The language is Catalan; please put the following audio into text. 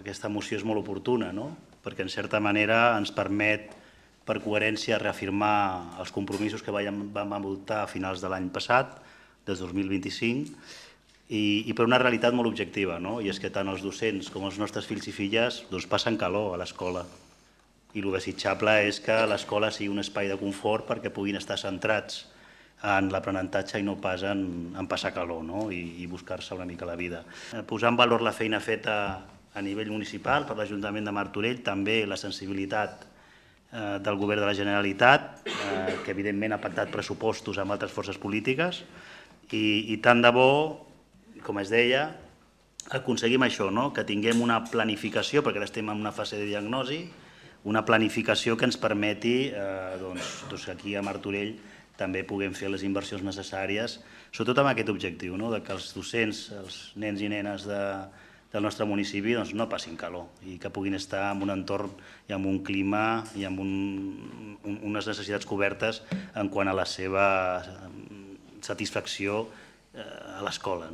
aquesta moció és molt oportuna, no? Perquè en certa manera ens permet, per coherència, reafirmar els compromisos que vam adoptar a finals de l'any passat, des 2025, i per una realitat molt objectiva, no? I és que tant els docents com els nostres fills i filles passen calor a l'escola. I el desitjable és que l'escola sigui un espai de confort perquè puguin estar centrats en l'aprenentatge i no pas en passar calor, no? I buscar-se una mica la vida. Posar en valor la feina feta a nivell municipal per l'Ajuntament de Martorell, també la sensibilitat del Govern de la Generalitat, que evidentment ha pactat pressupostos amb altres forces polítiques, i tant de bo, com es deia, aconseguim això, que tinguem una planificació, perquè ara estem en una fase de diagnosi, una planificació que ens permeti que aquí a Martorell també puguem fer les inversions necessàries, sobretot amb aquest objectiu, que els docents, els nens i nenes del nostre municipi no passin calor i que puguin estar en un entorn i en un clima i amb unes necessitats cobertes en quant a la seva satisfacció a l'escola.